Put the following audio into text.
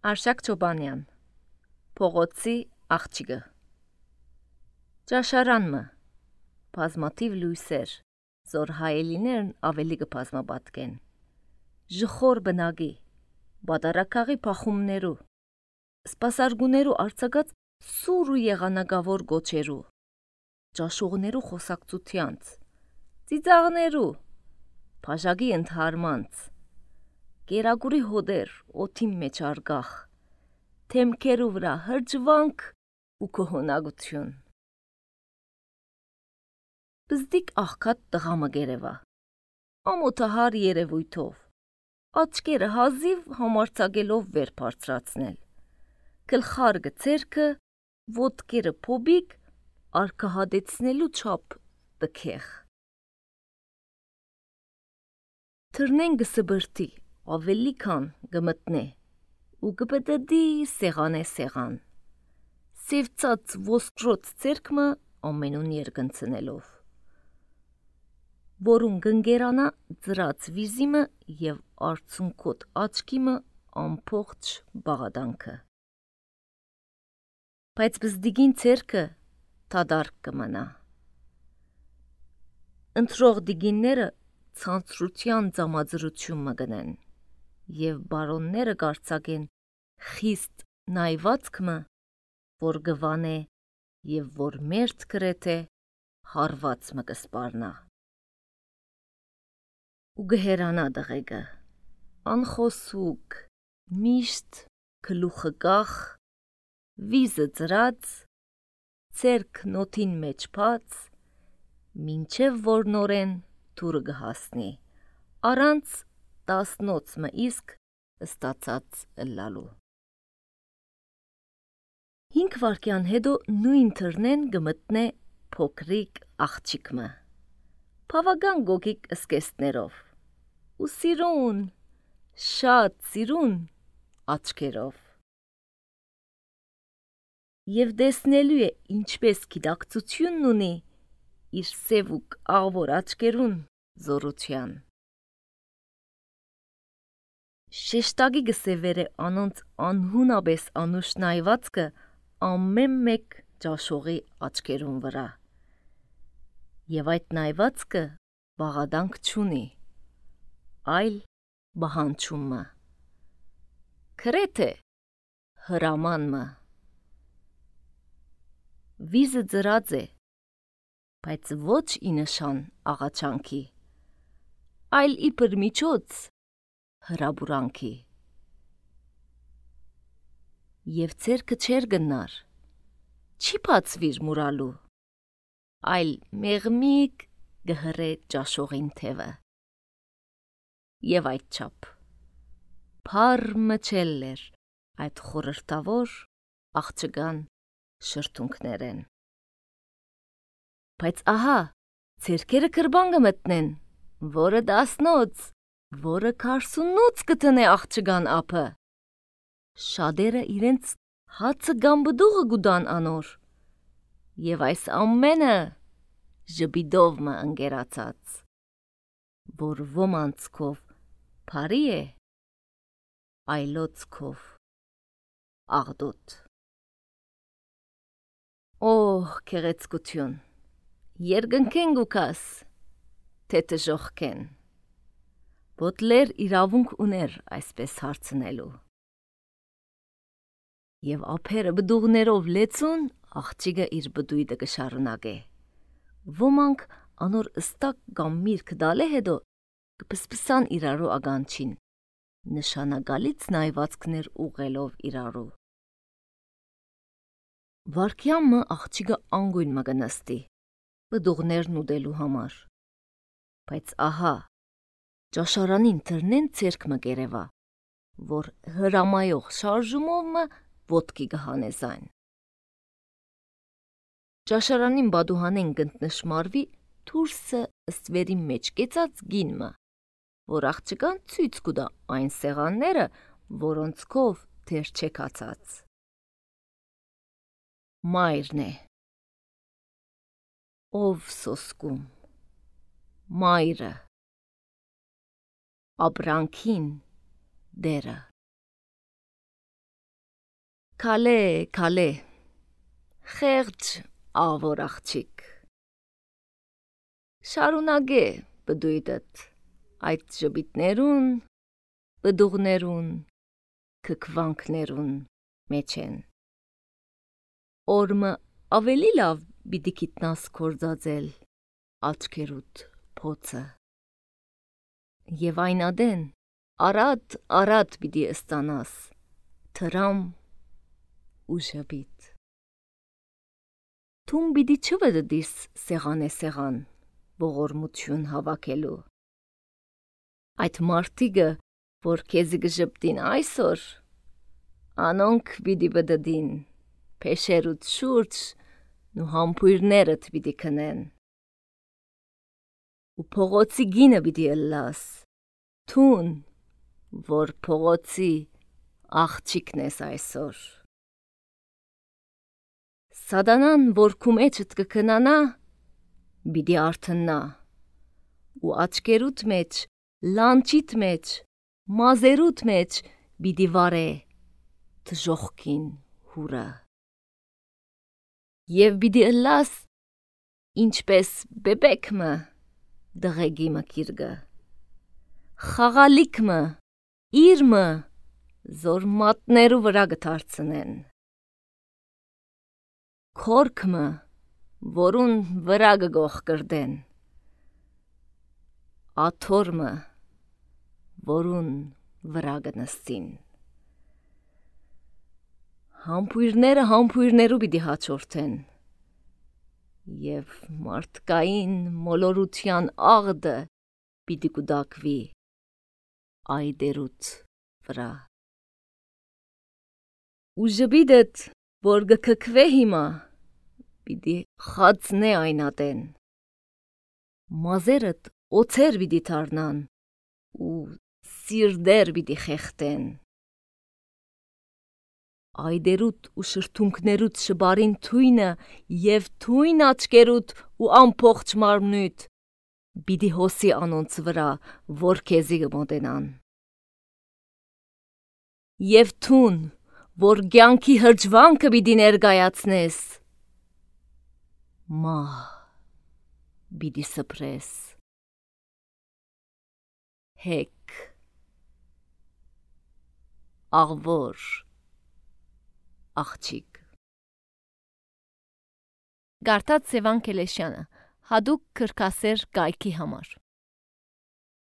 Արշակ Չոբանյան Փողոցի աղջիկը Ճաշարանմը բազմաթիվ լույսեր զոր հայելիներն ավելի կբազմապատկեն ժխոր բնագի բադարակաղի փախումներու սպասարգուներու արձակած սուր ու եղանակավոր գոչերու ճաշուղներու խոսակցությանց ծիծաղներու բաժագի ընդհարմանց կերագուրի հոդեր օթի մեջ արգախ թեմքերու վրա հրջվանք ու կողոնակություն բզդիկ աղքատ տղամը գերևա ամոթահար երևույթով աչքերը հազիվ համարցակելով վեր բարձրացնել գլխարկը ցերքը ոտքերը փոբիկ արկահադեցնելու չափ տքեղ թռնեն գսբրտի ավելի քան գմտնե ու գպտդի սեղանե սեղան սևծած ոսկրոց ցերկմը ամենուն երգնցնելով որուն գնգերանա ծրած վիզիմը եւ արցունքոտ աչքիմը ամփոխ բաղադանքը բայց բզդիգին ցերկը թադարկ կմնա ընտրող դիգինները ցանցրության ծամաձրություն մգնեն եւ բարոնները կարծակեն խիստ նայվածքմը որ գվանե եւ որ մերթ գրեթե հարված մը կսպարնա ու գհերանա դղեգը անխոսուկ միշտ գլուխը կախ վիզը ծրած ցերկ նոթին մեջ փած մինչև որ նորեն թուրը գհասնի առանց տասնոցմը իսկ ստացած լալու 5 վարկյան հետո նույն թռնեն գմտնե փոքրիկ աղջիկմը բավական գոգիկ սկեստներով ու սիրուն շատ սիրուն աչքերով եւ դեսնելու է ինչպես գիտակցությունն ունի իր սևուկ աղվոր աչքերուն զորության Շեշտագի գսևերը անոնց անհունաբես անուշ նայվածքը ամեն մեկ ճաշողի աչքերուն վրա եւ այդ նայվածքը բաղադանք չունի այլ բահանչումը քրեթե հրամանմը վիզը ծրած է բայց ոչ ի նշան աղաչանքի այլ իբր միջոց հրաբուրանքի եւ ցերկը չեր գնար չի բացվիր մուրալու այլ մեղմիկ գհրե ճաշողին թևը եւ այդ չափ փառմը չելլեր այդ խորհրդավոր աղջկան շրթունքներեն բայց ահա ցերկերը կրբան կմտնեն որը դասնոց որը 48 կտնե աղջկան ապը շատերը իրենց հացը գամբդուղը գուդան անոր եւ այս ամենը ժբիդով մը ընկերացած որ ոմանցքով բարի է այլոցքով աղդոտ օհ քեղեցկություն երգնքեն գուկաս թե տժողքեն Բոտլեր իրավունք ուներ այսպես հարցնելու եւ ափերը բդուղներով լեցուն աղջիկը իր բդույթը կշարունակե ոմանք անոր ըստակ կամ միրգ դալե հետո կպսպսան իրարու ագանչին նշանագալից նայվածքներ ուղելով իրարու վարկյամը աղջիկը անգույն մը գնստի բդուղներն ուդելու համար բայց ահա ճաշարանին թռնեն ցերկ մը գերևա որ հրամայող շարժումով մը ոտքի գհանեզայն ճաշարանին բադուհանեն գտնշմարվի թուրսը ըստվերի մեջ կեցած գինմը որ աղջկան ցույց կուդա այն սեղանները որոնցքով դեր չեկացած մայրն է ով սոսկում մայրը ապրանքին դերը Քալե, խեղճ ավոր աղջիկ։ Շարունակե բդույդդ այդ ժպիտներուն, բդուղներուն, քքվանքներուն մեջ են։ Օրմը ավելի լավ բիդի գիտնաս կործածել աչքերուդ փոցը։ Եվ այն ադեն արատ բիդի ստանաս թրամ ու ժպիտ։ Թում բիդի չվդդիս սեղան ողորմություն հավաքելու։ Այդ մարդիկը, որ քեզի գժպտին այսօր, անոնք բիդի բդդին, փեշերուդ շուրջ ու համբույրներդ բիդի քնեն։ Ու փողոցի գինը բիդի ըլլաս, թուն, որ փողոցի աղջիկն ես այսօր։ Սադանան, որ քու մեջդ կքնանա, բիդի արթնա, ու աչկերուդ մեջ, լանջիդ մեջ, մազերուդ մեջ բիդի վարե թժողքին հուրը։ Եվ բիդի ըլլաս, ինչպես բեբեքմը դղեգի մկիրգը, խաղալիքմը, իրմը, զոր մատներու վրա գթարցնեն, քորքմը, որուն վրա գգող կրդեն, աթորմը, որուն վրա գնստին։ Համբույրները համբույրներու բիդի հաջորդեն, և մարդկային մոլորության աղդը բիդի կուդակվի այդերուդ վրա։ Ու ժպիտդ, որ գքքվե հիմա, բիդի խածնե այն ատեն, մազերդ օծեր բիդի թարնան, ու սիրդեր բիդի խեղտեն։ Այդերուդ ու շրթունքներուդ շբարին թույնը և թույն աչկերուդ ու ամփոխ մարմնույթ բիդի հոսի անոնց վրա, որ քեզի գմոտենան։ Եվ թուն, որ կյանքի հրճվանքը բիդի ներկայացնես, մահ բիդի սփրես։ Հեկ, աղվոր, աղջիկ։ Գարտած Սևան Կելեշյանը, հադուկ քրքասեր կայքի համար։